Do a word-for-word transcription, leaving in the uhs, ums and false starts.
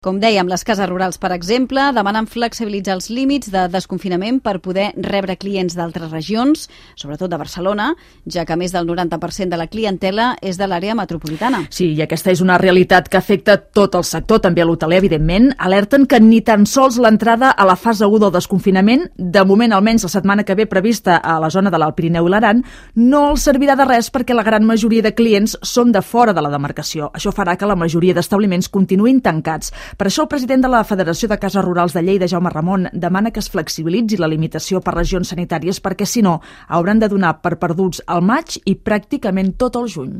Com dèiem, les cases rurals, per exemple, demanen flexibilitzar els límits de desconfinament per poder rebre clients d'altres regions, sobretot de Barcelona, ja que més del noranta per cent de la clientela és de l'àrea metropolitana. Sí, i aquesta és una realitat que afecta tot el sector, també l'hoteler, evidentment. Alerten que ni tan sols l'entrada a la fase u del desconfinament, de moment almenys la setmana que ve prevista a la zona de l'Alt Pirineu i l'Aran, no els servirà de res perquè la gran majoria de clients són de fora de la demarcació. Això farà que la majoria d'establiments continuïn tancats. Per això el president de la Federació de Cases Rurals de Lleida, Jaume Ramon, demana que es flexibilitzi la limitació per regions sanitàries perquè, si no, hauran de donar per perduts al maig i pràcticament tot el juny.